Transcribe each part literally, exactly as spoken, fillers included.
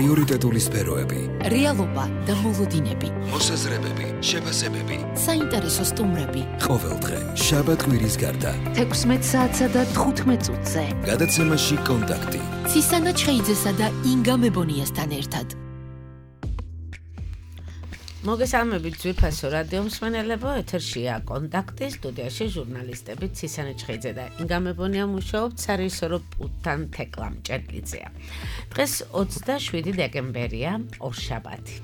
პრიორიტეტული სფეროები, რეალობა და მოლოდინები, მოსაზრებები, შეფასებები, საინტერესო სტუმრები. ყოველდღე შაბათ-კვირის გარდა თექვსმეტ საათსა და თხუთმეტ წუთზე გადაცემაში კონტაქტი ცისანა ჩხეიძესა და ინგა მებონიასთან ერთად. მოგესალმებით ძვირფასო რადიო მსმენელებო, ეთერშია კონტაქტი, სტუდიაში ჟურნალისტები ცისანა ჩხეიძე და ინგა მებონია მუშაობთ სარეჟისორო პულტთან თეკლა მჭერლიძეა. დღეს ოცდაშვიდი დეკემბერია, ორშაბათი.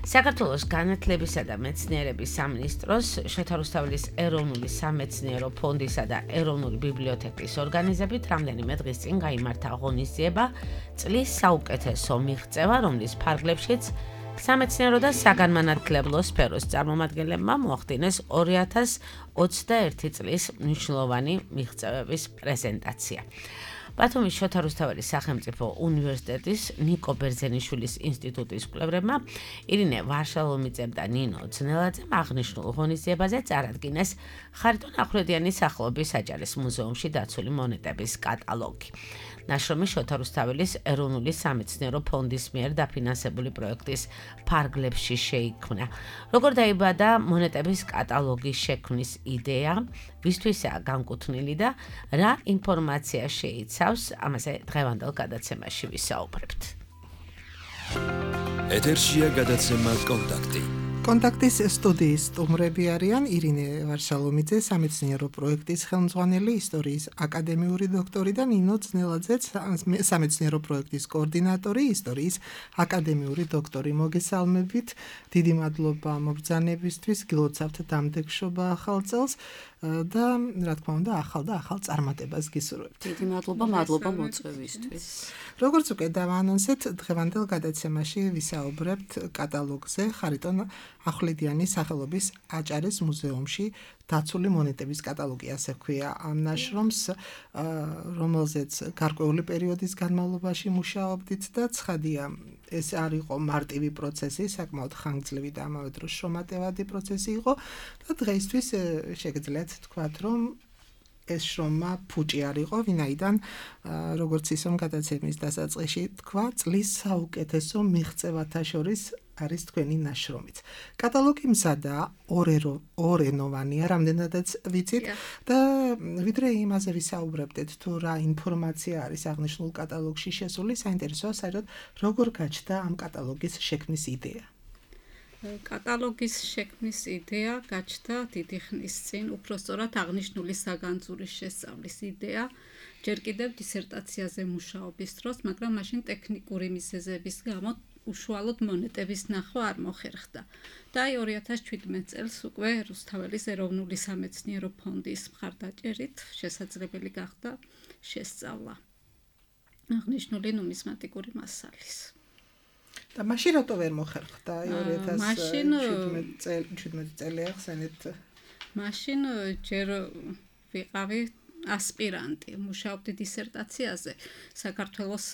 საქართველოს განათლებისა და მეცნიერების სამინისტროს, შოთა რუსთაველის ეროვნული სამეცნიერო ფონდისა და ეროვნული ბიბლიოთეკის ორგანიზებით რამდენიმე დღის წინ გაიმართა ღონისძიება წლის საუკეთესო მიღწევა, რომლის ფარგლებშიც სამეცნიერო და საგანმანათლებლო სფეროს წარმომადგენლებმა მოახდინეს ორი ათას ოცდაერთი წლის მნიშვნელოვანი მიღწევების პრეზენტაცია. ბათუმის შოთა რუსთაველის სახელმწიფო უნივერსიტეტის ნიკო ბერძენიშვილის ინსტიტუტის კვლევრებმა ირინე ვარშალომიძემ და ნინო ძნელაძემ აღნიშნულ ღონისძიებაზე წარადგინეს ხარიტონ ახვლედიანის სახელობის საჯარის მუზეუმში დაცული მონეტების კატალოგი. ნაშრომი შოთა რუსთაველის ეროვნული სამეცნიერო ფონდის მიერ დაფინანსებული პროექტის ფარგლებში შეიქმნა. როგორ დაიბადა მონეტების კატალოგის შექმნის იდეა, ვისთვისაა განკუთვნილი და რა ინფორმაცია შეიცავს, ამაზე დღევანდელ გადაცემაში ვისაუბრებთ. ეთერშია გადაცემა კონტაქტი. კონტაქტის სტუდიის სტუმრები არიან ირინე ვარშალომიძე, სამეცნიერო პროექტის ხელმძღვანელი, ისტორიის აკადემიური დოქტორი და ნინო ძნელაძე, სამეცნიერო პროექტის კოორდინატორი, ისტორიის აკადემიური დოქტორი. მოგესალმებით, დიდი მადლობა მობრძანებისთვის, გილოცავთ დამდეგშობა ახალ წელს და რა თქმა უნდა, ახალ და ახალ წარმატებას გისურვებთ. დიდი მადლობა, მადლობა მოწვევისთვის. როგორც უკვე დავაანონსეთ, დღევანდელ გადაცემაში ვისაუბრებთ კატალოგზე ხარიტონ ახვლედიანის სახელობის აჭარის მუზეუმში დაცული მონეტების კატალოგი, ასე ჰქვია ამ ნაშრომს, რომელზეც გარკვეული პერიოდის განმავლობაში მუშაობდით და ცხადია, ეს არ იყო მარტივი პროცესი, საკმაოდ ხანგრძლივი და ამავე დროს შრომატევადი პროცესი იყო და დღეისთვის შეგიძლიათ თქვათ, რომ ეს შრომა ფუჭი არ იყო, ვინაიდან როგორც ისომ გადაცემის დასაწყისში თქვა, წლის საუკეთესო მიღწევათა შორის არის თქვენი ნაშრომიც. კატალოგი მზადაა, ორენოვანია, რამდენადაც ვიცით და ვიდრე იმაზე ვისაუბრებდეთ, თუ რა ინფორმაცია არის აღნიშნულ კატალოგში შესული, საინტერესოა საერთოდ როგორ გაჩნდა ამ კატალოგის შექმნის იდეა. კატალოგის შექმნის იდეა გაჩნდა დიდი ხნის წინ, უпростоრად აღნიშნული საგანძურის შესწავლის იდეა, ჯერ კიდევ დისერტაციაზე მუშაობის დროს, მაგრამ მაშინ ტექნიკური მიზეზების გამო უშუალოდ მონეტების ნახვა არ მოხერხდა. და აი ორი ათას შვიდმეტ წელს უკვე რუსთაველის ეროვნული სამეცნიერო ფონდის მხარდაჭერით შესაძლებელი გახდა შესწავლა აღნიშნული ნუმიზმატიკური მასალის. და მაშინ რატო ვერ მოხერხდა ორი ათას შვიდმეტ წელი ახსენეთ? მაშინ ჯერ ვიყავი ასპირანტი, მუშაობდი დისერტაციაზე საქართველოს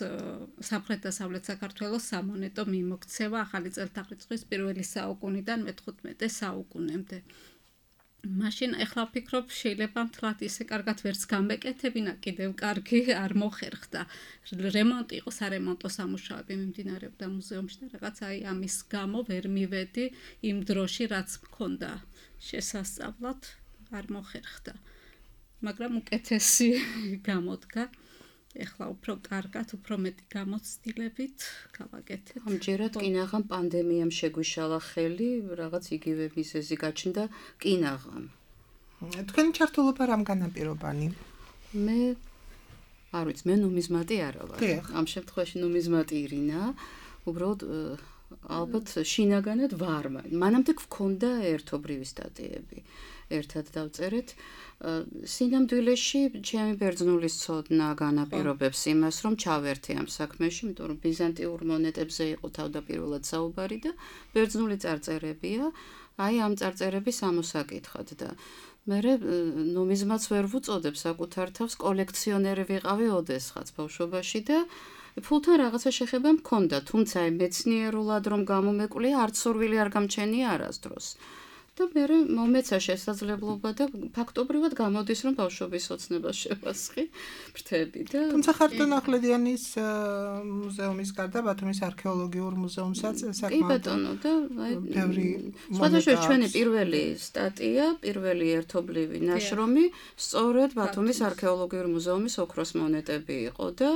სამხრეთ-დასავლეთ საქართველოს სამონეტო მიმოქცევა ახალი წელთაღრიცხვის პირველი საუკუნიდან მეთხუთმეტე საუკუნემდე. მაშინ ეხლა ვფიქრობ, შეიძლება მთლად ისე კარგად ვერც გამეკეთებინა, კიდევ კარგი არ მოხერხდა. რემონტი იყო, სარემონტო სამუშაოები მიმდინარეობდა მუზეუმში და რაღაც აი ამის გამო ვერ მივედი იმ დროში, რაც მქონდა შესასწავლად, არ მოხერხდა. მაგრამ უკეთესი გამოდგა. ეხლა უფრო კარგად, უფრო მეტი გამოცდილებით გავაკეთებ. ამჯერად კინაღამ პანდემიამ შეგვიშალა ხელი, რაღაც იგივე მიზეზი გაჩნდა კინაღამ. თქვენი ჩართულობა რამ განაპირობანი? მე არ ვიცი, მე ნუმიზმატი არა ვარ. ამ შემთხვევაში ნუმიზმატი ირინა, უბრალოდ ალბათ შინაგანად ვარ. მანამდე გვქონდა ერთობრივი სტატიები. ერთად დავწერეთ. სინამდვილეში ჩემი ბერძნულის ცოდნა განაპირობებს იმას, რომ ჩავერთე ამ საქმეში, იმიტომ რომ ბიზანტიურ მონეტებზე იყო თავდაპირველად საუბარი და ბერძნული წარწერებია, აი ამ წარწერების ამოსაკითხად და მე ნუმიზმატს ვერ ვუწოდებ საკუთარ თავს, კოლექციონერი ვიყავი ოდესღაც ბავშვობაში და ფულთან რაღაცა შეხება მქონდა, თუმცა მეცნიერულად რომ გამომეკვლიე, არც სურვილი არ გამჩენია არასდროს. და მე მომეცა შესაძლებლობა და ფაქტობრივად გამოდის რომ ბავშვობის ოცნებას შევასხი ფრთები და თუმცა ხარიტონ ახვლედიანის მუზეუმის გარდა ბათუმის არქეოლოგიურ მუზეუმსაც საკმაოდ კი ბატონო და აი ბევრი სხვადასხვა ჩვენი პირველი სტატია, პირველი ერთობლივი ნაშრომი სწორედ ბათუმის არქეოლოგიურ მუზეუმის ოქროს მონეტები იყო და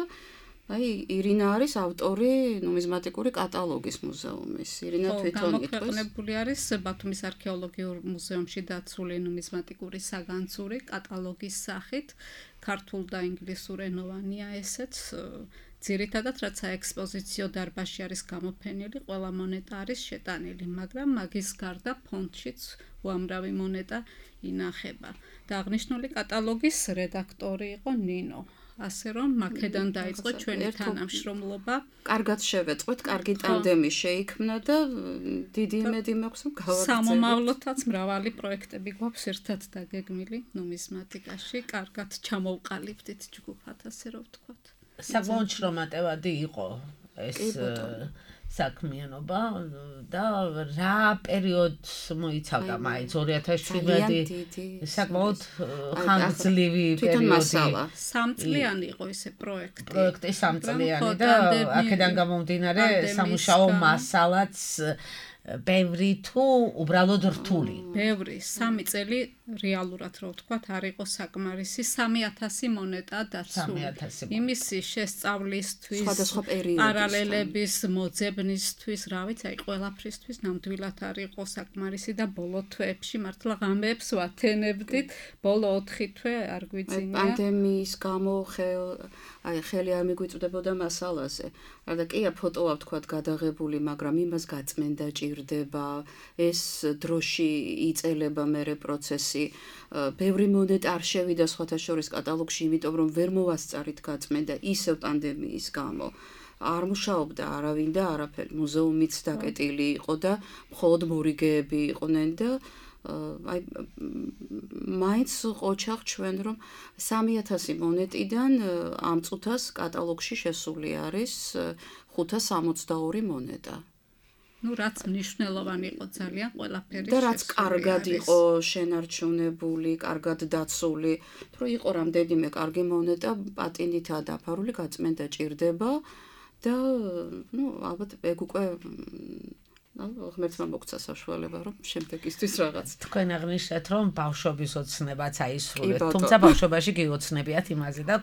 აი ირინა არის ავტორი ნუმიზმატიკური კატალოგის მუზეუმის. ირინა თვითონ იტყვის. გამოქვეყნებული არის ბათუმის არქეოლოგიურ მუზეუმში დაცული ნუმიზმატიკური საგანძური კატალოგის სახით, ქართულ და ინგლისურ ენოვანია ესეც. ძირითადად რაც საექსპოზიციო დარბაზში არის გამოფენილი, ყველა მონეტა არის შეტანილი, მაგრამ მაგის გარდა ფონდშიც უამრავი მონეტა ინახება. და აღნიშნული კატალოგის რედაქტორი იყო ნინო. ასე რომ მაქედან დაიწყო ჩვენი თანამშრომლობა. კარგად შევეწყვეთ, კარგი ტანდემი შეიქმნა და დიდი იმედი მაქვს რომ გავაგრძელოთ. სამომავლოდაც მრავალი პროექტები გვაქვს ერთად დაგეგმილი ნუმიზმატიკაში. კარგად ჩამოვყალიბდით ჯგუფად, ასე რომ ვთქვათ. საკმაოდ შრომატევადი იყო ეს საქმიანობა და რა პერიოდს მოიცავდა მაინც ორი ათას შვიდმეტი საკმაოდ ხანგრძლივი პერიოდი სამწლიანი იყო ესე პროექტი პროექტი სამწლიანი და აქედან გამომდინარე სამუშაო მასალაც ბევრი თუ უბრალოდ რთული. ბევრი, სამი წელი რეალურად რო ვთქვათ, არ იყო საკმარისი, სამი ათასი მონეტა დაცული. იმისი შესწავლისთვის, პარალელების მოძებნისთვის, რა ვიცი, აი ყველაფრისთვის ნამდვილად არ იყო საკმარისი და ბოლო თვეებში მართლა ღამეებს ვათენებდით, ბოლო ოთხი თვე არ გვიძინია. პანდემიის გამო აი ხელი არ მიგვიწვდებოდა მასალაზე. რა და კია ფოტოა ვთქვათ გადაღებული, მაგრამ იმას გაწმენდა ჭირდება, ეს დროში იწელება მერე პროცესი. ბევრი მონეტა არ შევიდა სხვათა შორის კატალოგში, იმიტომ რომ ვერ მოვასწარით გაწმენდა ისევ პანდემიის გამო. არ მუშაობდა არავინ და არაფერი. მუზეუმიც დაკეტილი იყო და მხოლოდ მორიგეები იყვნენ და აი მაინც ყოჩაღ ჩვენ რომ სამი ათასი მონეტიდან ამ წუთას კატალოგში შესული არის ხუთას სამოცდაორი მონეტა. ну რაც მნიშვნელოვანი იყო ძალიან ყველაფერი და რაც კარგად იყო შენარჩუნებული, კარგად დაცული, რომ იყო რამდენიმე კარგი მონეტა პატინითაა დაფარული, გაწმენდა ჭირდება და ну ალბათ ეგ უკვე ну ღმერთმა მოგცა საშუალება რომ შემდეგისთვის რაღაც თქვენ აღნიშნეთ რომ ბავშვობის ოცნებაც აისრულეთ თუმცა ბავშვობაში გიოცნებიათ იმაზე და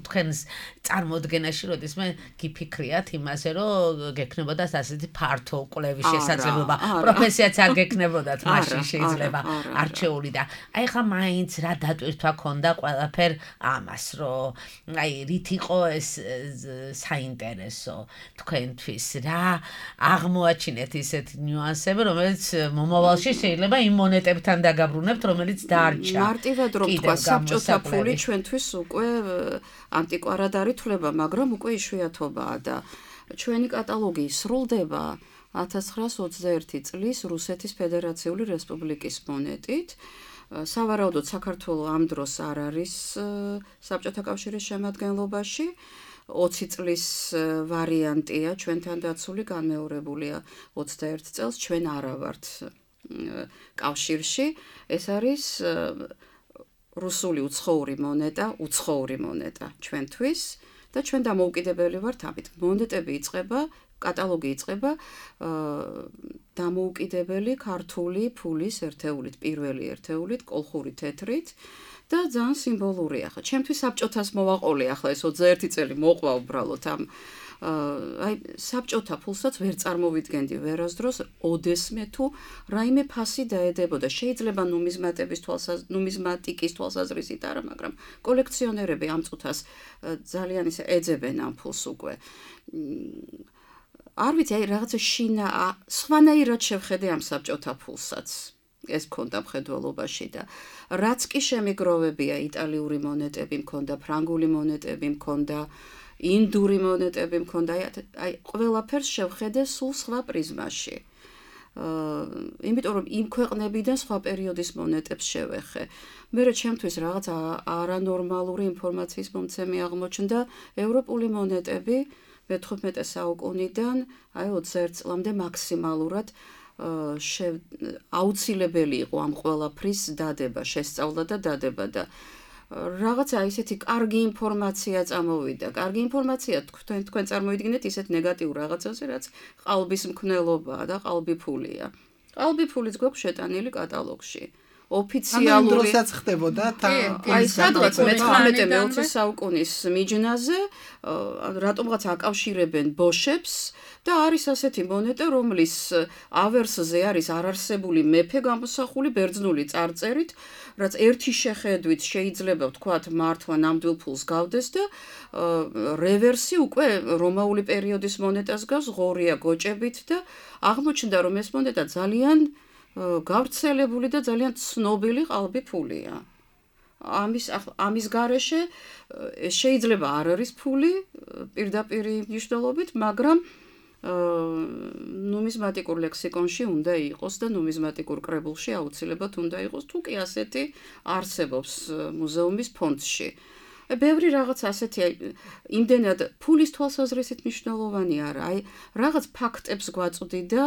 თქვენს წარმოდგენაში როდესმე გიფიქრიათ იმაზე რომ გექნებოდა ასეთი ფართო კვლევის შესაძლებლობა პროფესიაც არ გექნებოდათ მაშინ შეიძლება არჩეული და აი ხა მაინც რა დატვირთვა ქონდა ყველაფერ ამას რომ აი რით იყო ეს საინტერესო თქვენთვის რა აღმოაჩინეთ ისე ნიუანსები, რომელიც მომავალში შეიძლება იმ მონეტებთან დაგაბრუნებთ, რომელიც დარჩა. მარტივად რომ თქვა, საბჭოთა ფული ჩვენთვის უკვე ანტიკვარად არ ითვლება, მაგრამ უკვე იშვიათობაა და ჩვენი კატალოგი სრულდება ათას ცხრაას ოცდაერთი წლის რუსეთის ფედერაციული რესპუბლიკის მონეტით. სავარაუდოდ საქართველოს ამ დროს არ არის საბჭოთა კავშირის შემადგენლობაში. ოცი წლის ვარიანტია ჩვენთან დაცული განმეორებულია ოცდაერთ წელს ჩვენ არა ვართ კავშირში ეს არის რუსული უცხოური მონეტა უცხოური მონეტა ჩვენთვის და ჩვენ დამოუკიდებელი ვართ ამით მონეტები იწყება კატალოგი იწყება დამოუკიდებელი ქართული ფულის ერთეულით პირველი ერთეულით კოლხური თეთრით და ძალიან სიმბოლურია ხა. ჩემთვის საბჭოთას მოვაყოლე ახლა ეს ოცდაერთი წელი მოყვა უბრალოდ ამ აი საბჭოთა ფულსაც ვერ წარმოვიდგენდი ვერასდროს ოდესმე თუ რაიმე ფასი დაედებოდა. შეიძლება ნუმიზმატების თვალსაზრისით, ნუმიზმატიკის თვალსაზრისით არა, მაგრამ კოლექციონერები ამ წუთას ძალიან ისე ეძებენ ამ ფულს უკვე. არ ვიცი, აი რაღაცა შინა სხვანაირად შევხედე ამ საბჭოთა ფულსაც. ეს მქონდა მხედველობაში და რაც კი შემიგროვებია იტალიური მონეტები მქონდა, ფრანგული მონეტები მქონდა, ინდური მონეტები მქონდა, აი ყველაფერს შევხედე სულ სხვა პრიზმაში. იმიტომ რომ იმ ქვეყნებიდან სხვა პერიოდის მონეტებს შევეხე. მერე ჩემთვის რაღაც არანორმალური ინფორმაციის მომცემი აღმოჩნდა ევროპული მონეტები მეთხუთმეტე საუკუნიდან აი ოცდაერთ წლამდე მაქსიმალურად აუცილებელი იყო ამ ყველაფრის დადება, შესწავლა და დადება და რაღაცა ისეთი კარგი ინფორმაცია წამოვიდა. კარგი ინფორმაცია თქვენ თქვენ წარმოიდგინეთ ისეთ ნეგატიურ რაღაცაზე, რაც ყალბის მკვნელობაა და ყალბიფულია. ყალბიფულიც გვაქვს შეტანილი კატალოგში. ოფიციალური დროსაც ხდებოდა აი სადღაც მეთვრამეტე მეოცე საუკუნის მიჯნაზე რატომღაც აკავშირებენ ბოშებს და არის ასეთი მონეტა, რომლის ავერსზე არის არარსებული მეფე გამოსახული ბერძნული წარწერით, რაც ერთი შეხედვით შეიძლება ვთქვათ მართლა ნამდვილ ფულს გავდეს და რევერსი უკვე რომაული პერიოდის მონეტას გავს, ღორია გოჭებით და აღმოჩნდა რომ ეს მონეტა ძალიან გავრცელებული და ძალიან ცნობილი ყალბი ფულია. ამის ამის გარეშე შეიძლება არ არის ფული პირდაპირ მნიშვნელობით, მაგრამ ნუმიზმატიკურ ლექსიკონში უნდა იყოს და ნუმიზმატიკურ კრებულში აუცილებლად უნდა იყოს, თუ კი ასეთი არსებობს მუზეუმის ფონდში. ბევრი რაღაც ასეთი იმდენად ფულის თვალსაზრისით მნიშვნელოვანი არა, აი რაღაც ფაქტებს გვაწვდი და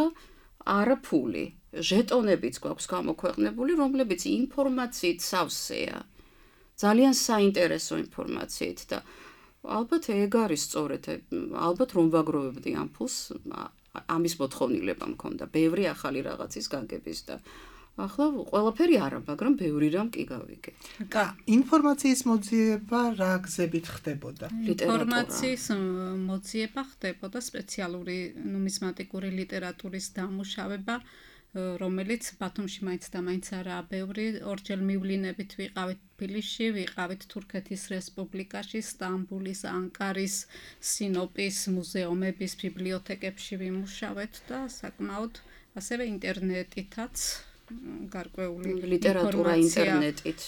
არა ფული. ჟეტონებიც გვაქვს გამოქვეყნებული, რომლებიც ინფორმაციით სავსეა. ძალიან საინტერესო ინფორმაციით და ალბათ ეგ არის სწორედ, ალბათ რომ ვაგროვებდი ამ ფულს, ამის მოთხოვნილება მქონდა, ბევრი ახალი რაღაცის გაგების და ახლა ყველაფერი არა, მაგრამ ბევრი რამ კი გავიგე. და ინფორმაციის მოძიება რა გზებით ხდებოდა? ინფორმაციის მოძიება ხდებოდა სპეციალური ნუმიზმატიკური ლიტერატურის დამუშავება, რომელიც ბათუმში მაინც და მაინც არაა ბევრი, ორჯერ მივლინებით ვიყავით თბილისში, ვიყავით თურქეთის რესპუბლიკაში, სტამბულის, ანკარის, სინოპის მუზეუმების ბიბლიოთეკებში ვიმუშავეთ და საკმაოდ ასევე ინტერნეტითაც გარკვეული ლიტერატურა ინტერნეტით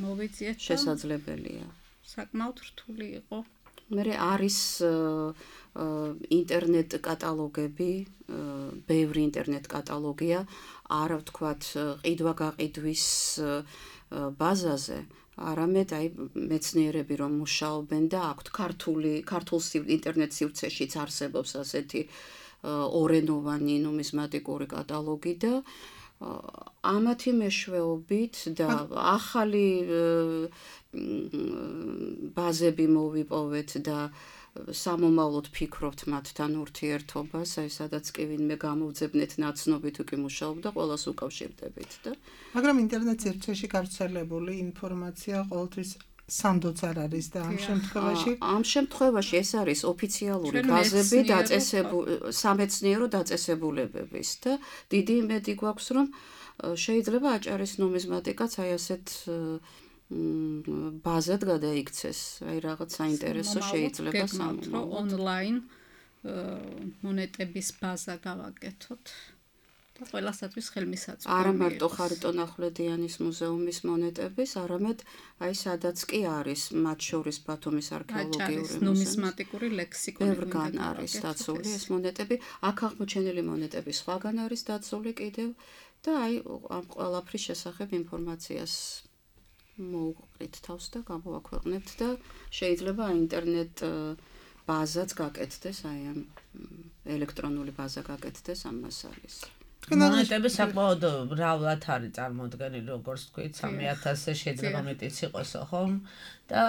მოვიძიეთ შესაძლებელია. საკმაოდ რთული იყო. მერე არის ინტერნეტ კატალოგები, ბევრი ინტერნეტ კატალოგია, არა ვთქვათ ყიდვა-გაყიდვის ბაზაზე, არამედ აი მეცნიერები რომ მუშაობენ და აქვთ ქართული ქართულ ინტერნეტ სივრცეშიც არსებობს ასეთი ორენოვანი ნუმიზმატიკური კატალოგი და ამათი მეშვეობით და ახალი ბაზები მოვიპოვეთ და სამომავლოდ ფიქრობთ მათთან ურთიერთობას, აი სადაც კი ვინმე გამოვძებნეთ ნაცნობი თუ კი მუშაობდა, ყველას უკავშირდებით და მაგრამ ინტერნეტ სივრცეში გავრცელებული ინფორმაცია ყოველთვის სანდოც არ არის და ამ შემთხვევაში ამ შემთხვევაში ეს არის ოფიციალური ბაზები დაწესებული სამეცნიერო დაწესებულებების და დიდი იმედი გვაქვს რომ შეიძლება აჭარის ნუმიზმატიკაც აი ასეთ ბაზად გადაიქცეს, აი რაღაც საინტერესო შეიძლება სამომავლოდ ონლაინ მონეტების ბაზა გავაკეთოთ და ყველასათვის ხელმისაწვდომი. არა მარტო ხარიტონ ახვლედიანის მუზეუმის მონეტების, არამედ აი სადაც კი არის, მათ შორის ბათუმის არქეოლოგიური ნუმიზმატიკური ლექსიკონი ბევრგან არის დაცული ეს მონეტები, აქ აღმოჩენილი მონეტები სხვაგან არის დაცული კიდევ და აი ამ ყველაფრის შესახებ ინფორმაციას მოვუყრით თავს და გამოვაქვეყნებთ და შეიძლება ინტერნეტ ბაზაც გაკეთდეს, აი ამ ელექტრონული ბაზა გაკეთდეს ამ მასალის. მონეტები საკმაოდ მრავლად არის წარმოდგენილი, როგორც თქვით, სამი ათასზე შეიძლება მეტიც იყოს, ხომ? და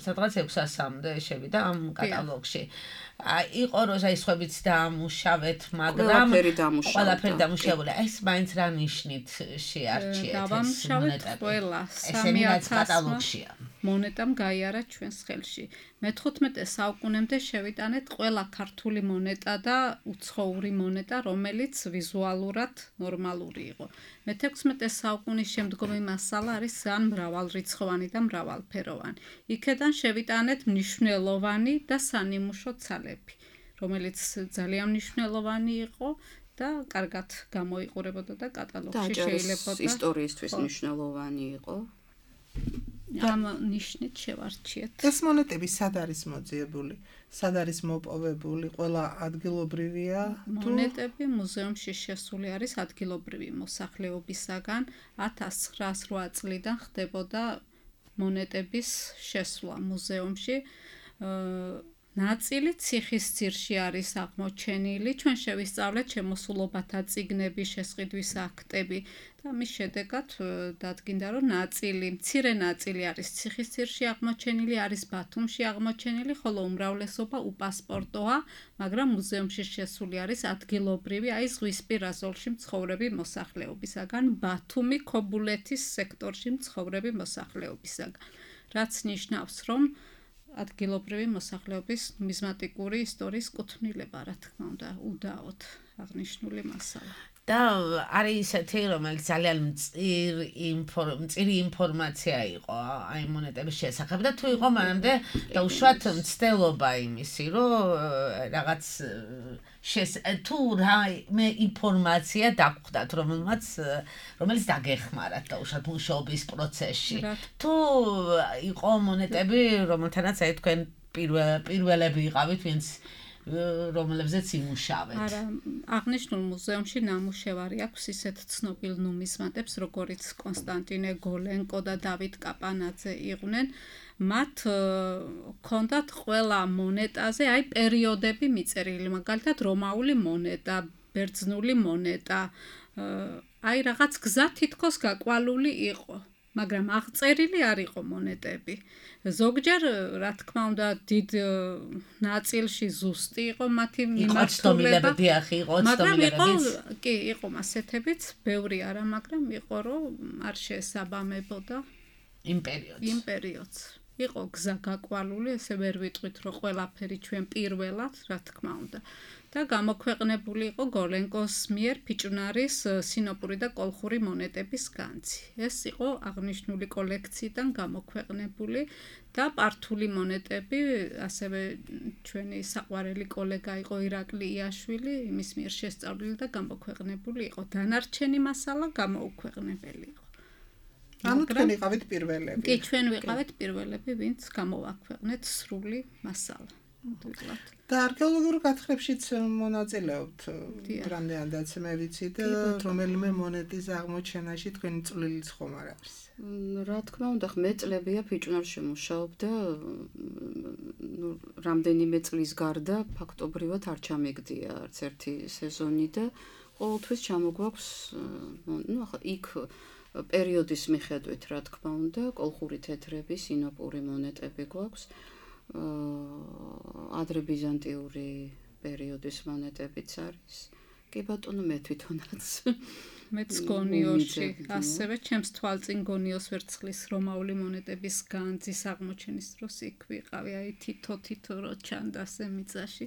სადღაც ექვსი ასამდე შევიდა ამ კატალოგში. იყო რომ აი სხვებიც დაამუშავეთ, მაგრამ ყველაფერი დამუშავებული. ეს მაინც რა ნიშნით შეარჩიეთ ეს მონეტები? ყველა სამი ათასმა მონეტამ გაიარა ჩვენს ხელში. მეთოთხმეტე საუკუნემდე შევიტანეთ ყველა ქართული მონეტა და უცხოური მონეტა, რომელიც ვიზუალურად ნორმალური იყო. მეთექვსმეტე საუკუნის შემდგომი მასალა არის ძალიან მრავალრიცხოვანი და მრავალფეროვანი. იქედან შევიტანეთ მნიშვნელოვანი და სანიმუშო ცალები, რომელიც ძალიან მნიშვნელოვანი იყო და კარგად გამოიყურებოდა და კატალოგში შეიძლება და ისტორიისთვის მნიშვნელოვანი იყო. ამ ნიშნით შევარჩიეთ. ეს მონეტები სად არის მოძიებული? სად არის მოპოვებული? ყველა ადგილობრივია? მონეტები მუზეუმში შესული არის ადგილობრივი მოსახლეობისაგან. ათას ცხრაას რვა წლიდან ხდებოდა მონეტების შესვლა მუზეუმში. ნაწილი ციხის ძირში არის აღმოჩენილი. ჩვენ შევისწავლეთ შემოსულობათა წიგნები, შესყიდვის აქტები და მის შედეგად დადგინდა, რომ ნაწილი, მცირე ნაწილი არის ციხის ძირში აღმოჩენილი, არის ბათუმში აღმოჩენილი, ხოლო უმრავლესობა უპასპორტოა, მაგრამ მუზეუმში შესული არის ადგილობრივი, აი ზღვისპირა ზოლში მცხოვრები მოსახლეობისაგან, ბათუმი ქობულეთის სექტორში მცხოვრები მოსახლეობისაგან. რაც ნიშნავს, რომ ადგილობრივი მოსახლეობის ნუმიზმატიკური ისტორიის კუთვნილება, რა თქმა უნდა, უდაოდ აღნიშნული მასალა. და არის ისეთი, რომელიც ძალიან მწირი ინფორმაცია იყო აი მონეტების შესახებ და თუ იყო მანამდე დაუშვათ მცდელობა იმისი, რომ რაღაც თუ რაიმე ინფორმაცია დაგხვდათ, რომელმაც რომელიც დაგეხმარათ დაუშვათ მუშაობის პროცესში. თუ იყო მონეტები, რომელთანაც აი თქვენ პირველები იყავით, ვინც რომელებზეც იმუშავეთ. არა, აღნიშნულ მუზეუმში ნამუშევარი აქვს ისეთ ცნობილ ნუმიზმატებს, როგორიც კონსტანტინე გოლენკო და დავით კაპანაძე იყვნენ. მათ ჰქონდათ ყველა მონეტაზე აი პერიოდები მიწერილი, მაგალითად რომაული მონეტა, ბერძნული მონეტა, აი რაღაც გზა თითქოს გაკვალული იყო. მაგრამ აღწერილი არ იყო მონეტები. ზოგჯერ, რა თქმა უნდა, დიდ ნაწილში ზუსტი იყო მათი მიმართულება. მაგრამ იყო, კი, იყო მასეთებიც, ბევრი არა, მაგრამ იყო, რომ არ შეესაბამებოდა იმ პერიოდს. იმ პერიოდს. იყო გზა გაკვალული, ესე ვერ ვიტყვით, რომ ყველაფერი ჩვენ პირველად, რა თქმა უნდა. და გამოქვეყნებული იყო გოლენკოს მიერ ფიჭვნარის სინოპური და კოლხური მონეტების განძი. ეს იყო აღნიშნული კოლექციიდან გამოქვეყნებული და პართული მონეტები, ასევე ჩვენი საყვარელი კოლეგა იყო ირაკლი იაშვილი, იმის მიერ შესწავლილი და გამოქვეყნებული იყო. დანარჩენი მასალა გამოუქვეყნებელი იყო. ანუ თქვენ იყავით პირველები. კი, ჩვენ ვიყავით პირველები, ვინც გამოვაქვეყნეთ სრული მასალა. და არქეოლოგიურ გათხრებშიც მონაწილეობთ რამდენადაც მე ვიცი და რომელიმე მონეტის აღმოჩენაში თქვენი წვლილიც ხომ არ არის. რა თქმა უნდა, მე წლებია ფიჭვნარში მუშაობ და რამდენიმე წლის გარდა ფაქტობრივად არ ჩამიგდია არც ერთი სეზონი და ყოველთვის ჩამოგვაქვს, ნუ ახლა იქ პერიოდის მიხედვით, რა თქმა უნდა, კოლხური თეთრები, სინოპური მონეტები გვაქვს. ადრე ბიზანტიური პერიოდის მონეტებიც არის. კი ბატონო, მე თვითონაც მეც გონიოში, ასევე ჩემს თვალწინ გონიოს ვერცხლის რომაული მონეტების განძის აღმოჩენის დროს იქ ვიყავი, აი თითო-თითო რო ჩანდა ასე მიწაში.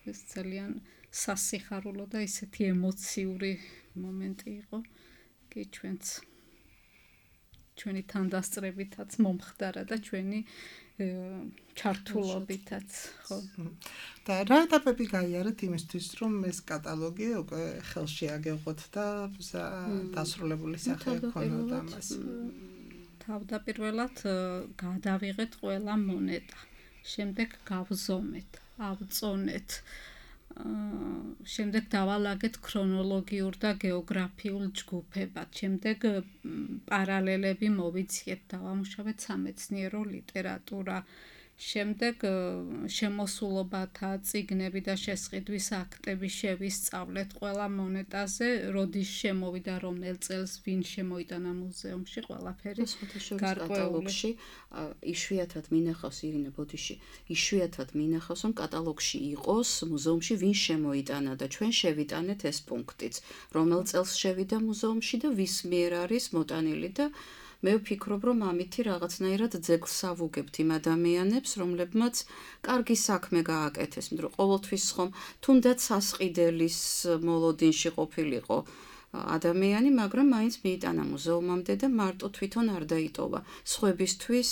ეს ძალიან სასიხარულო და ისეთი ემოციური მომენტი იყო. კი ჩვენც ჩვენი თანდასწრებითაც მომხდარა და ჩვენი ჩართულობითაც, ხო. და რა ეტაპები გაიარეთ იმისთვის, რომ ეს კატალოგი უკვე ხელში აგეღოთ და დასრულებული სახე გქონოთ ამას. თავდაპირველად გადავიღეთ ყველა მონეტა. შემდეგ გავზომეთ, ავწონეთ. შემდეგ დავალაგეთ ქრონოლოგიურ და გეოგრაფიულ ჯგუფებად. შემდეგ პარალელები მოვიძიეთ, დავამუშავეთ სამეცნიერო ლიტერატურა. შემდეგ შემოსულობათა წიგნები და შესყიდვის აქტები შევისწავლეთ ყველა მონეტაზე, როდის შემოვიდა, რომელ წელს, ვინ შემოიტანა მუზეუმში, ყველაფერი გარკვეულში. იშვიათად მინახავს ირინა ბოდიში, იშვიათად მინახავს, რომ კატალოგში იყოს მუზეუმში ვინ შემოიტანა და ჩვენ შევიტანეთ ეს პუნქტიც, რომელ წელს შევიდა მუზეუმში და ვის მიერ არის მოტანილი და მე ვფიქრობ, რომ ამითი რაღაცნაირად ძეგლს ავუგებთ იმ ადამიანებს, რომლებმაც კარგი საქმე გააკეთეს, იმიტომ რომ ყოველთვის ხომ თუნდაც სასყიდელის მოლოდინში ყოფილიყო ადამიანი, მაგრამ მაინც მიიტანა მუზეუმამდე და მარტო თვითონ არ დაიტოვა. სხვებისთვის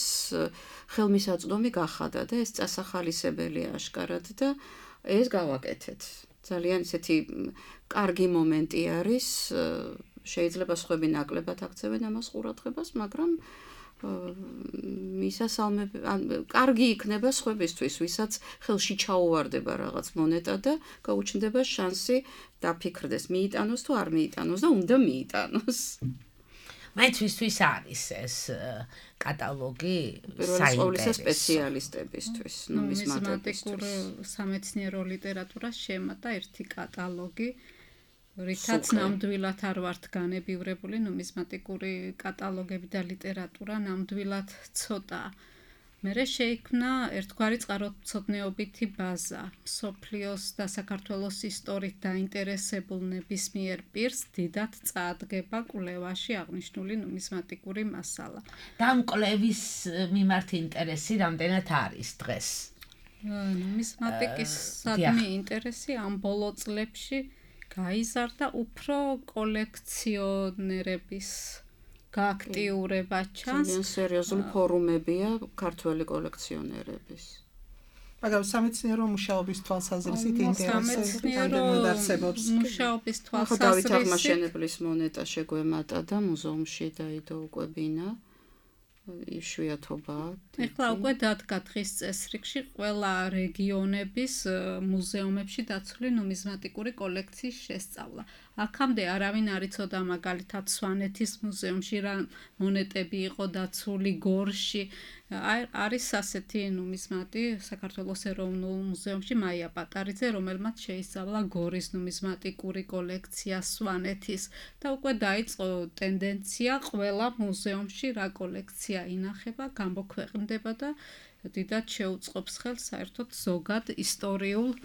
ხელმისაწვდომი გახადა და ეს წასახალისებელია აშკარად და ეს გავაკეთეთ. ძალიან ისეთი კარგი მომენტი არის. შეიძლება სხვები ნაკლებად აქცევენ ამას ყურადღებას, მაგრამ მისასალმები, კარგი იქნება სხვებისთვის, ვისაც ხელში ჩაუვარდება რაღაც მონეტა და გაუჩნდება შანსი დაფიქრდეს, მიიტანოს თუ არ მიიტანოს და უნდა მიიტანოს. მაინც ვისთვის არის ეს კატალოგი საინტერესო სპეციალისტებისთვის, ნუმიზმატიკურ სამეცნიერო ლიტერატურას შემატა ერთი კატალოგი, რითაც ნამდვილად არ ვართ განებივრებული ნუმიზმატიკური კატალოგები და ლიტერატურა ნამდვილად ცოტა. მერე შეიქმნა ერთგვარი წყაროწმუნდობითი ბაზა, მსოფლიოს და საქართველოს ისტორიით დაინტერესებულ ნებისმიერ პირს დიდად წაადგება კვლევაში აღნიშნული ნუმიზმატიკური მასალა. და ამ კვლევის მიმართ ინტერესი რამდენად არის დღეს? ნუმიზმატიკის სადმი ინტერესი ამ ბოლო წლებში გაიზარდა უფრო კოლექციონერების გააქტიურება ჩანს. ძალიან სერიოზული ფორუმებია ქართველი კოლექციონერების. მაგრამ სამეცნიერო მუშაობის თვალსაზრისით ინტერესი რამდენად არსებობს? მუშაობის თვალსაზრისით დავით აღმაშენებლის მონეტა შეგვემატა და მუზეუმში დაიდო უკვე ბინა. იშვიათობა. ეხლა უკვე დადგა დღის წესრიგში ყველა რეგიონების მუზეუმებში დაცული ნუმიზმატიკური კოლექციის შესწავლა. აქამდე არავინ არ იცოდა მაგალითად სვანეთის მუზეუმში რა მონეტები იყო დაცული, გორში. არის ასეთი ნუმიზმატი საქართველოს ეროვნულ მუზეუმში მაია პატარიძე, რომელმაც შეისწავლა გორის ნუმიზმატიკური კოლექცია, სვანეთის და უკვე დაიწყო ტენდენცია ყველა მუზეუმში რა კოლექცია ინახება, გამოქვეყნდება და დიდად შეუწყობს ხელს საერთოდ ზოგად ისტორიულ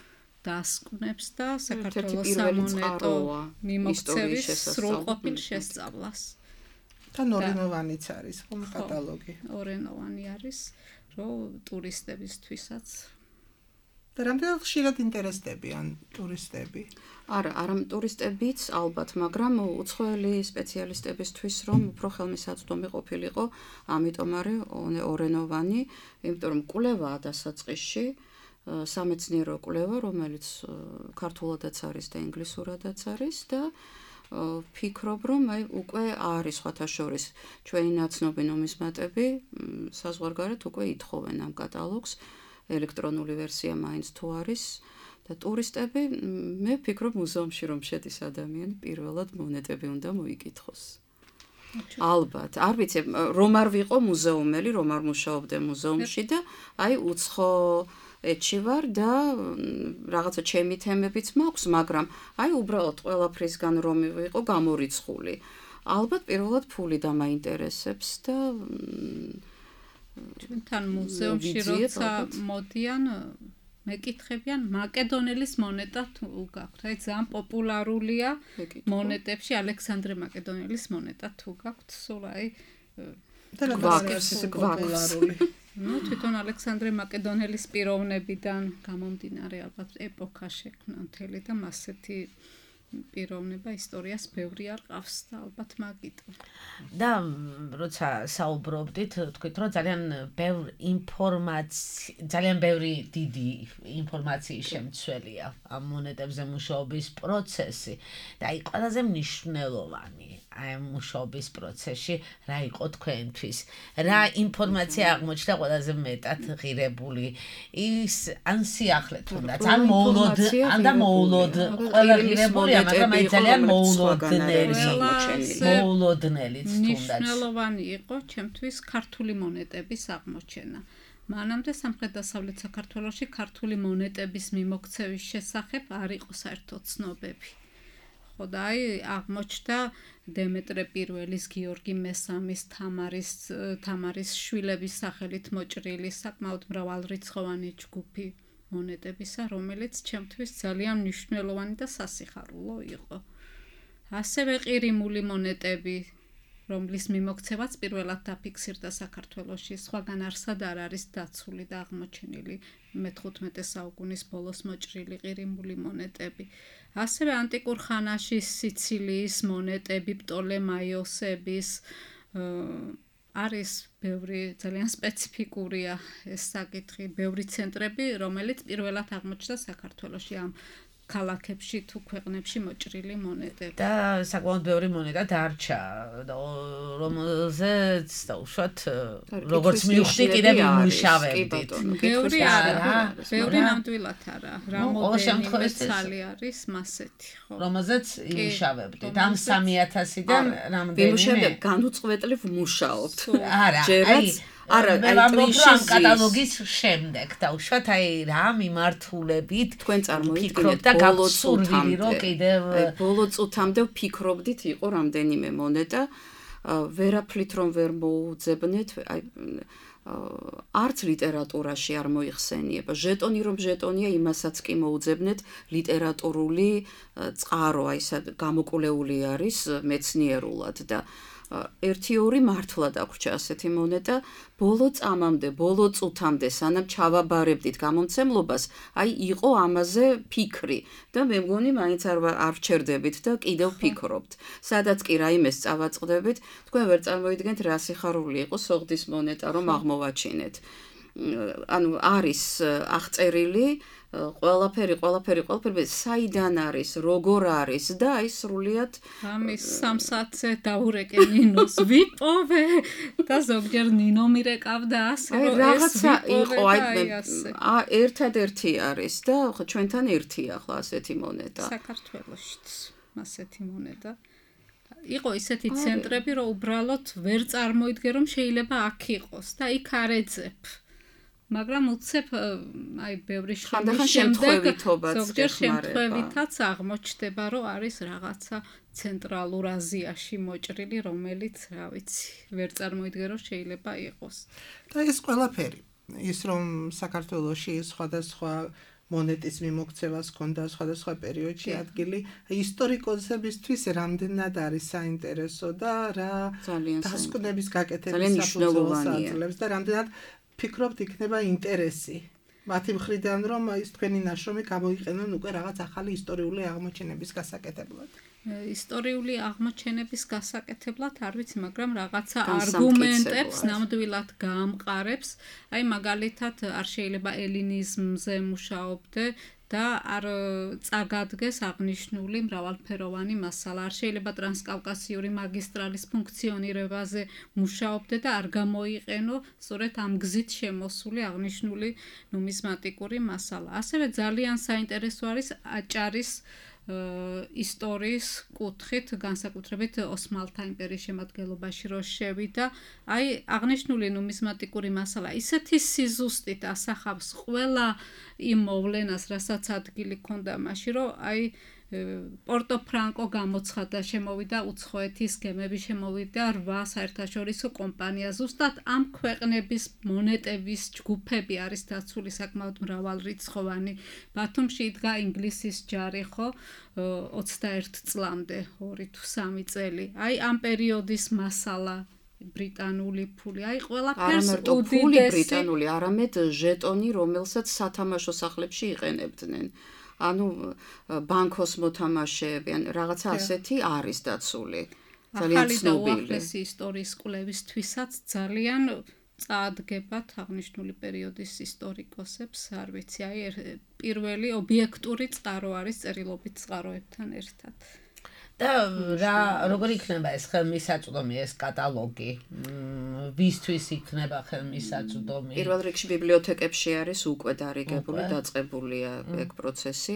დასკვნებს და საქართველოს სამონეტო მიმოქცევის სრულყოფილ შესწავლას. თან ორენოვანიც არის ხომ კატალოგი. ორენოვანი არის, რომ ტურისტებისთვისაც. და რამდენად ხშირად ინტერესდებიან ტურისტები? არა, არა ტურისტებიც ალბათ, მაგრამ უცხოელი სპეციალისტებისთვის რომ უფრო ხელმისაწვდომი ყოფილიყო, ამიტომ არის ორენოვანი, იმიტომ რომ კვლევაა დასაწყისში, სამეცნიერო კვლევა, რომელიც ქართულადაც არის და ინგლისურადაც არის და ფიქრობ, რომ აი უკვე არის სხვათა შორის ჩვენი ნაცნობი ნუმიზმატები საზღვარგარეთ უკვე ითხოვენ ამ კატალოგს, ელექტრონული ვერსია მაინც თუ არის და ტურისტები, მე ვფიქრობ მუზეუმში რომ შედის ადამიანი, პირველად მონეტები უნდა მოიკითხოს. ალბათ, არ ვიცი, რომ არ ვიყო მუზეუმელი, რომ არ მუშაობდე მუზეუმში და აი უცხო ეთში ვარ და რაღაცა ჩემი თემებიც მაქვს, მაგრამ აი უბრალოდ ყველაფრისგან რომ ვიყო გამორიცხული. ალბათ პირველად ფული დამაინტერესებს და ჩვენთან მუზეუმში როცა მოდიან მეკითხებიან მაკედონელის მონეტა თუ გაქვთ. აი ძალიან პოპულარულია მონეტებში ალექსანდრე მაკედონელის მონეტა თუ გაქვთ. სულ აი გვაქვს. ნუ თვითონ ალექსანდრე მაკედონელის პიროვნებიდან გამომდინარე ალბათ ეპოქა შექმნა მთელი და მასეთი პიროვნება ისტორიას ბევრი არ ყავს და ალბათ მაგიტო. და როცა საუბრობდით, თქვით რომ ძალიან ბევრი ინფორმაცია, ძალიან ბევრი დიდი ინფორმაციის შემცველია ამ მონეტებზე მუშაობის პროცესი და აი ყველაზე მნიშვნელოვანი აი მუშაობის პროცესში რა იყო თქვენთვის? რა ინფორმაცია აღმოჩნდა ყველაზე მეტად ღირებული? ის ან სიახლე თუნდაც, ან მოულოდ, ან და მოულოდ ყველა ღირებული, მაგრამ აი ძალიან მოულოდნელი, მოულოდნელიც თუნდაც. მნიშვნელოვანი იყო ჩემთვის ქართული მონეტების აღმოჩენა. მანამდე სამხრეთ-დასავლეთ საქართველოში ქართული მონეტების მიმოქცევის შესახებ არ იყო საერთოდ ცნობები. ხო და აი აღმოჩნდა დემეტრე პირველის, გიორგი მესამის, თამარის თამარის შვილების სახელით მოჭრილი საკმაოდ მრავალრიცხოვანი ჯგუფი მონეტებისა, რომელიც ჩემთვის ძალიან მნიშვნელოვანი და სასიხარულო იყო. ასევე ყირიმული მონეტები, რომლის მიმოქცევაც პირველად დაფიქსირდა საქართველოში, სხვაგან არსად არ არის დაცული და აღმოჩენილი მეთერთმეტე საუკუნის ბოლოს მოჭრილი ყირიმული მონეტები. ასევე ანტიკურ ხანაში სიცილიის მონეტები, პტოლემაიოსების არის ბევრი ძალიან სპეციფიკურია ეს საკითხი, ბევრი ცენტრები, რომელიც პირველად აღმოჩნდა საქართველოში ამ ქალაქებში თუ ქვეყნებში მოჭრილი მონეტები. და საკმაოდ ბევრი მონეტა დარჩა, რომელზეც დაუშვათ როგორც მივხვდი კიდევ იმუშავებდით. ბევრი არა, ბევრი ნამდვილად არა. რამოდენიმე ცალი არის მასეთი, ხო. რომელზეც იმუშავებდით. ამ სამი ათასიდან რამდენი ვიმუშავებ განუწყვეტლივ ვმუშაობთ. არა, აი არა, აი ამ კატალოგის შემდეგ დაუშვათ აი რა მიმართულებით თქვენ წარმოიდგინეთ ბოლო წუთამდე კიდევ აი ბოლო წუთამდე ვფიქრობდით იყო რამდენიმე მონეტა ვერაფრით რომ ვერ მოუძებნეთ აი არც ლიტერატურაში არ მოიხსენიება ჟეტონი რომ ჟეტონია იმასაც კი მოუძებნეთ ლიტერატურული წყარო აი სად გამოკვლეული არის მეცნიერულად და ერთი ორი მართლა დაგვრჩა ასეთი მონეტა ბოლო წამამდე ბოლო წუთამდე სანამ ჩავაბარებდით გამომცემლობას აი იყო ამაზე ფიქრი და მე მგონი მაინც არ არ ვჩერდებით და კიდევ ვფიქრობთ სადაც კი რაიმეს წავაწყდებით თქვენ ვერ წარმოიდგენთ რა სიხარული იყო სოღდის მონეტა რომ აღმოვაჩინეთ ანუ არის აღწერილი ყველაფერი, ყველაფერი, ყველაფერი საიდან არის, როგორ არის და აი სრულიად ამის სამ საათზე დაურეკე ნინოს ვიპოვე და ზოგჯერ ნინო მირეკავდა ასე რომ ეს იყო აი ერთადერთი არის და ხო ჩვენთან ერთია ახლა ასეთი მონეტა საქართველოშიც ასეთი მონეტა იყო ისეთი ცენტრები რომ უბრალოდ ვერ წარმოიდგე რომ შეიძლება აქ იყოს და იქ არ ეძებ მაგრამ უცებ აი ბევრი შემდეგ ზოგჯერ შემთხვევითაც აღმოჩნდება რომ არის რაღაცა ცენტრალურ აზიაში მოჭრილი რომელიც რა ვიცი ვერ წარმოიდგე რომ შეიძლება იყოს და ეს ყველაფერი ის რომ საქართველოში სხვადასხვა მონეტის მიმოქცევას ჰქონდა სხვადასხვა პერიოდში ადგილი ისტორიკოსებისთვის რამდენად არის საინტერესო და რა დასკვნების გაკეთების საფუძველს აძლევს და რამდენად ფიქრობთ იქნება ინტერესი მათი მხრიდან რომ ის თქვენი ნაშრომი გამოიყენონ უკვე რაღაც ახალი ისტორიული აღმოჩენების გასაკეთებლად ისტორიული აღმოჩენების გასაკეთებლად არ ვიცი მაგრამ რაღაცა არგუმენტებს ნამდვილად გაამყარებს აი მაგალითად არ შეიძლება ელინიზმზე მუშაობდე და არ წაგადგეს აღნიშნული მრავალფეროვანი მასალა არ შეიძლება ტრანსკავკასიური მაგისტრალის ფუნქციონირებაზე მუშაობდე და არ გამოიყენო სწორედ ამ გზით შემოსული აღნიშნული ნუმიზმატიკური მასალა ასევე ძალიან საინტერესო არის აჭარის ისტორიის კუთხით განსაკუთრებით ოსმალთა იმპერიის შემადგენლობაში რო შევიდა აი აღნიშნული ნუმიზმატიკური მასალა ისეთი სიზუსტით ასახავს ყველა იმ მოვლენას რასაც ადგილი ჰქონდა მაშინ რომ აი პორტო ფრანკო გამოცხადა შემოვიდა უცხოეთის გემები შემოვიდა რვა საერთაშორისო კომპანია ზუსტად ამ ქვეყნების მონეტების ჯგუფები არის დაცული საკმაოდ მრავალრიცხოვანი ბათუმში იდგა ინგლისის ჯარი ხო ოცდაერთ წლამდე ორი თუ სამი წელი აი ამ პერიოდის მასალა ბრიტანული ფული აი ყველაფერს უდიდესი ბრიტანული არამედ ჟეტონი რომელსაც სათამაშო სახლებში იყენებდნენ ანუ ბანკოს მოთამაშეები ან რაღაცა ასეთი არის დაცული ძალიან ცნობილი ახალი ისტორიის კვლევისთვისაც ძალიან წაადგებათ აღნიშნული პერიოდის ისტორიკოსებს არ ვიცი აი პირველი ობიექტური წყარო არის წერილობით წყაროებთან ერთად და რა როგორ იქნება ეს ხელმისაწვდომი ეს კატალოგი ვისთვის იქნება ხელმისაწვდომი პირველ რიგში ბიბლიოთეკებში არის უკვე დარიგებული დაწყებულია ეგ პროცესი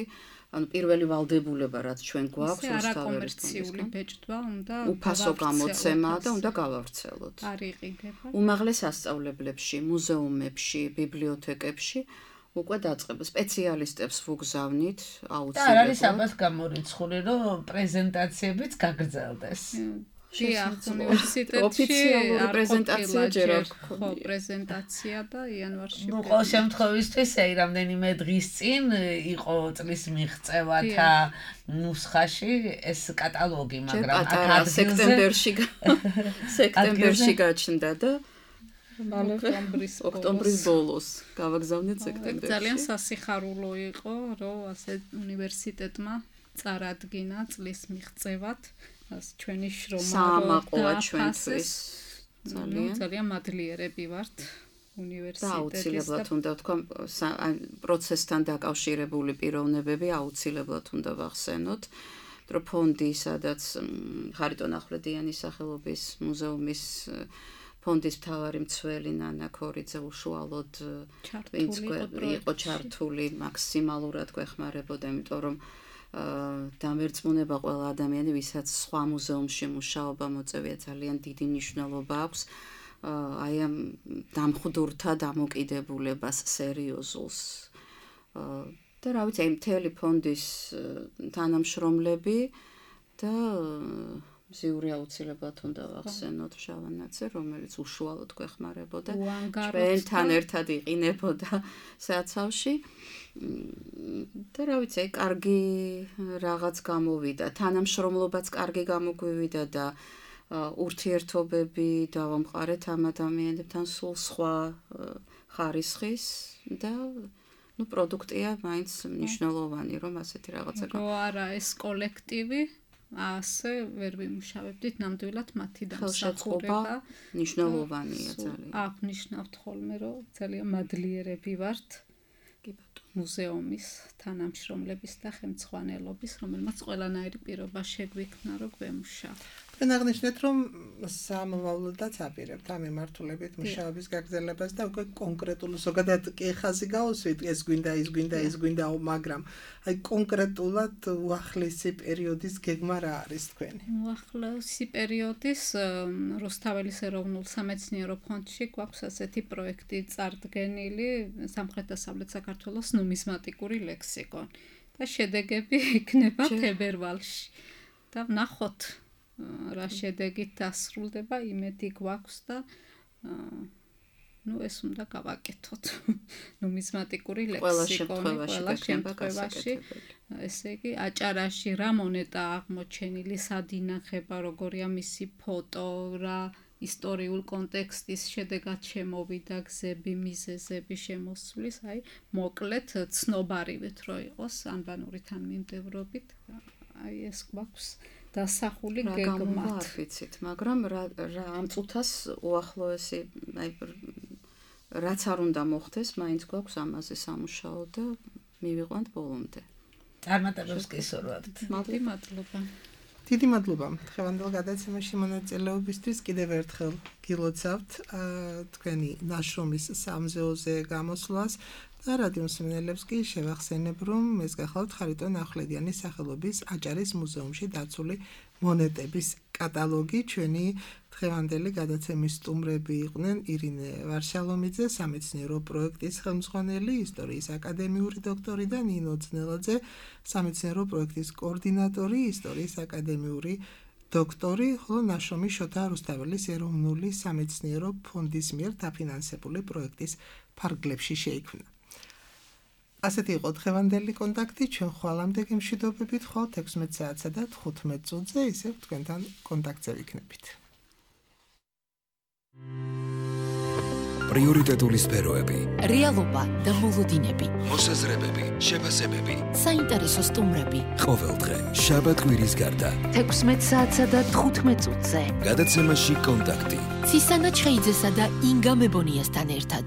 ანუ პირველი ვალდებულება რაც ჩვენ გვაქვს რუსთავერისტონისგან ბეჭდვა უნდა უფასო გამოცემა და უნდა გავავრცელოთ არ იყიდება უმაღლეს სასწავლებლებში მუზეუმებში ბიბლიოთეკებში უკვე დაწყება სპეციალისტებს ვუგზავნით აუცილებლად და არის აბათ გამორიცხული რომ პრეზენტაციებიც გაგრძელდეს დიახ უნივერსიტეტში ოფიციალური პრეზენტაცია ჯერ არ ხო პრეზენტაცია და იანვარში ნუ ყოველ შემთხვევისთვის აი რამდენიმე დღის წინ იყო წლის მიღწევათა ნუსხაში ეს კატალოგი მაგრამ აქ სექტემბერში სექტემბერში გაჩნდა და ოქტომბრის ოქტომბრის ბოლოს გავაგზავნეთ სექტემბერში. ძალიან სასიხარულო იყო, რომ ასე უნივერსიტეტმა წარადგინა წლის მიღწევად ჩვენი შრომა საამაყოა ჩვენთვის. ძალიან ძალიან მადლიერები ვართ. უნივერსიტეტის და აუცილებლად უნდა თქვა პროცესთან დაკავშირებული პიროვნებები აუცილებლად უნდა ვახსენოთ, რომ ფონდი, სადაც ხარიტონ ახვლედიანის სახელობის მუზეუმის ფონდის მთავარი მცველი ნანა ქორიძე უშუალოდ იყო ჩართული, მაქსიმალურად გვეხმარებოდა, იმიტომ რომ დამერწმუნება ყველა ადამიანი, ვისაც სხვა მუზეუმში მუშაობა მოწევია, ძალიან დიდი მნიშვნელობა აქვს აი ამ დამხვდურთა დამოკიდებულებას სერიოზულს. და რა ვიცი, აი მთელი ფონდის თანამშრომლები და მზიური აუცილებლად უნდა ვახსენოთ შავანაძე, რომელიც უშუალოდ გვეხმარებოდა, ჩვენთან ერთად იყინებოდა საცავში. და რა ვიცი, კარგი რაღაც გამოვიდა, თანამშრომლობაც კარგი გამოგვივიდა და ურთიერთობები დავამყარეთ ამ ადამიანებთან სულ სხვა ხარისხის და ну პროდუქტია მაინც მნიშვნელოვანი, რომ ასეთი რაღაცა გა. რო არა ეს კოლექტივი ასე ვერ ვიმუშავებდით, ნამდვილად მათი დამსახურება მნიშვნელოვანია ძალიან. აღნიშნავთ ხოლმე, რომ ძალიან მადლიერები ვართ მუზეუმის თანამშრომლების და ხელმძღვანელობის, რომელმაც ყველანაირი პირობა შეგვიქმნა, რომ გვემუშავოთ. თქვენ აღნიშნეთ, რომ სამომავლოდაც აპირებთ ამ მიმართულებით მუშაობის გაგრძელებას და უკვე კონკრეტულ ზოგადად კი ხაზი გაუსვით, ეს გვინდა, ის გვინდა, ის გვინდა, მაგრამ აი კონკრეტულად უახლესი პერიოდის გეგმა რა არის თქვენი? უახლესი პერიოდის რუსთაველის ეროვნულ სამეცნიერო ფონდში გვაქვს ასეთი პროექტი წარდგენილი სამხრეთ-დასავლეთ საქართველოს ნუმიზმატიკური ლექსიკონი და შედეგები იქნება თებერვალში. და ვნახოთ რა შედეგით დასრულდება, იმედი გვაქვს და ну ეს უნდა გავაკეთოთ. ნუმიზმატიკური ლექსიკონი ყველა შემთხვევაში, ესე იგი აჭარაში რა მონეტა აღმოჩენილი, სად ინახება, როგორია მისი ფოტო, რა ისტორიულ კონტექსტის შედეგად შემოვიდა გზები, მიზეზები შემოსulis, აი მოკლედ ცნობარივეთ რო იყოს ანბანური თანმიმდევრობით, აი ეს გვაქვს დასახული გეგმად. არ ვიცით, მაგრამ რა ამ წუთას უახლოესი, აი რაც არ უნდა მოხდეს, მაინც გვაქვს ამაზე სამუშაო და მივიყვანთ ბოლომდე. წარმატებებს გისურვებთ. მადლობა. დიდი მადლობა დღევანდელ გადაცემაში მონაწილეობისთვის. კიდევ ერთხელ გილოცავთ თქვენი ნაშრომის სამზეოზე გამოსვლას და რადიო მსმენელებს კი შევახსენებ, რომ ეს გახლავთ ხარიტონ ახვლედიანის სახელობის აჭარის მუზეუმში დაცული მონეტების კატალოგი. ჩვენი დღევანდელი გადაცემის სტუმრები იყვნენ ირინე ვარშალომიძე, სამეცნიერო პროექტის ხელმძღვანელი, ისტორიის აკადემიური დოქტორი და ნინო ძნელაძე, სამეცნიერო პროექტის კოორდინატორი, ისტორიის აკადემიური დოქტორი, ხოლო ნაშრომი შოთა რუსთაველის ეროვნული სამეცნიერო ფონდის მიერ დაფინანსებული პროექტის ფარგლებში შეიქმნა. ასეთი იყო დღევანდელი კონტაქტი, ჩვენ ხვალამდე გემშვიდობებით, ხვალ ექვსმეტ საათსა და თხუთმეტ წუთზე ისევ თქვენთან კონტაქტზე ვიქნებით. პრიორიტეტული სფეროები, რეალობა და მოლოდინები, მოსაზრებები, შეფასებები, საინტერესო სტუმრები. ყოველდღე შაბათ კვირის გარდა ექვსმეტ საათსა და თხუთმეტ წუთზე გადაცემაში კონტაქტი. ცისანა ჩხეიძესა და ინგა მებონიასთან ერთად.